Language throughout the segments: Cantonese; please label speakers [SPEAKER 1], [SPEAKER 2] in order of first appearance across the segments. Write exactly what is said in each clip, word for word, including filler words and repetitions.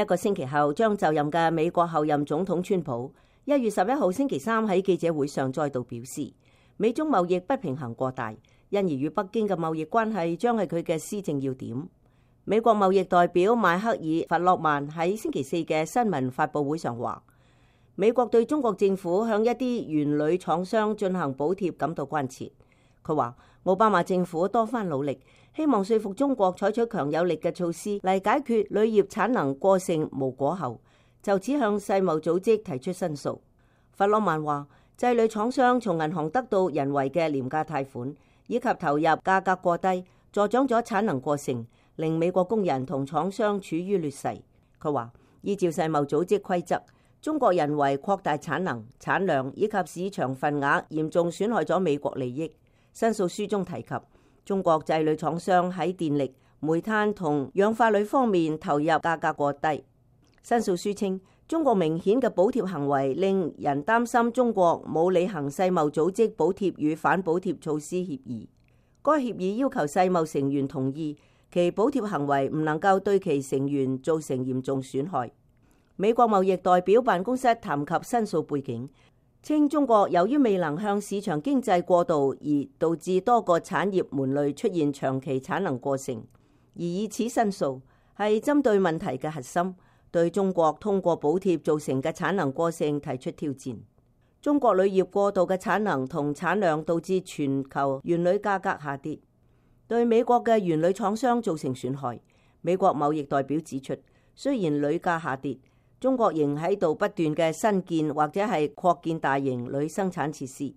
[SPEAKER 1] 一個星期後將就任嘅美國後任總統川普，一月十一號星期三喺記者會上再度表示，美中貿易不平衡過大，因而與北京嘅貿易關係將係佢嘅施政要點。美國貿易代表邁克爾·弗洛曼喺星期四嘅新聞發佈會上話，美國對中國政府向一啲鉛鋁廠商進行補貼感到關切。佢話奧巴馬政府多番努力，希望說服中國採取強有力嘅措施嚟解決鋁業產能過剩無果後，就此向世貿組織提出申訴。弗洛曼話，製鋁廠商從銀行得到人為嘅廉價貸款，以及投入價格過低，助長咗產能過剩，令美國工人同廠商處於劣勢。佢話依照世貿組織規則，中國人為擴大產能、產量以及市場份額，嚴重損害咗美國利益。申訴書中提及，中國製鋁廠商喺電力、煤炭同氧化鋁方面投入價格過低。申訴書稱，中國明顯嘅補貼行為令人擔心中國冇履行世貿組織補貼與反補貼措施協議。該協議要求世貿成員同意其補貼行為唔能夠對其成員造成嚴重損害。美國貿易代表辦公室談及申訴背景，稱中國由於未能向市場經濟過渡而導致多個產業門類出現長期產能過剩，而以此申訴係針對問題嘅核心，對中國通過補貼造成嘅產能過剩提出挑戰。中國鋁業過度嘅產能同產量導致全球鉛鋁價格下跌，對美國嘅鉛鋁廠商造成損害。美國貿易代表指出，雖然鋁價下跌，中國仍喺度不斷嘅新建或者係擴建大型鋁生產設施。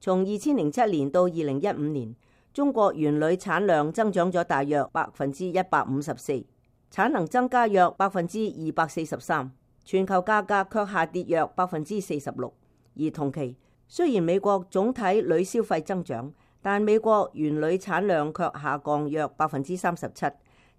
[SPEAKER 1] 從二千零七年到二零一五年，中國鉛鋁產量增長咗大約百分之一百五十四，產能增加約百分之二百四十三，全球價格卻下跌約百分之四十六。而同期，雖然美國總體鋁消費增長，但美國鉛鋁產量卻下降約百分之三十七，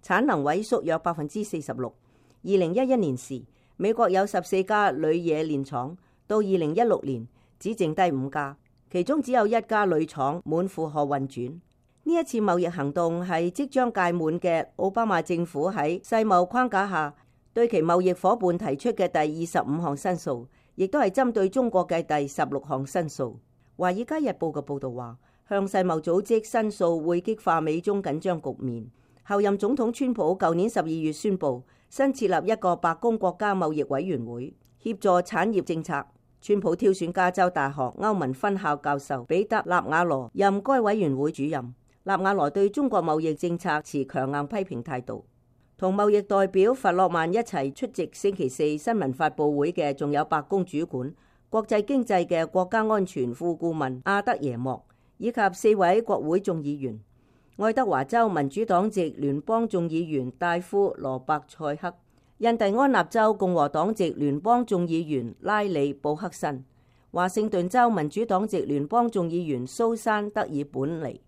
[SPEAKER 1] 產能萎縮約百分之四十六。二零一一年時，美國有十四家鋁冶煉廠，到二零一六年只剩低五家，其中只有一家鋁廠滿負荷運轉。呢一次貿易行動係即將屆滿嘅奧巴馬政府喺世貿框架下對其貿易夥伴提出嘅第二十五項申訴，亦都係針對中國嘅第十六項申訴。華爾街日報嘅報導話，向世貿組織申訴會激化美中緊張局面。後任總統川普舊年十二月宣布新設立一個白宮國家貿易委員會，協助產業政策。川普挑選加州大學歐文分校教授彼得納瓦羅任該委員會主任。納瓦羅對中國貿易政策持強硬批評態度。同貿易代表弗洛曼一齊出席星期四新聞發佈會嘅，仲有白宮主管國際經濟嘅國家安全副顧問阿德耶莫，以及四位國會眾議員。愛德華州民主黨籍聯邦眾議員戴夫羅伯塞克，印第安納州共和黨籍聯邦眾議員拉里布克森，華盛頓州民主黨籍聯邦眾議員蘇珊德爾本尼，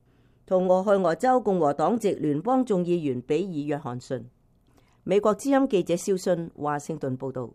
[SPEAKER 1] 同俄亥俄州共和黨籍聯邦眾議員比爾約翰遜。美國之音記者蕭信華盛頓報道。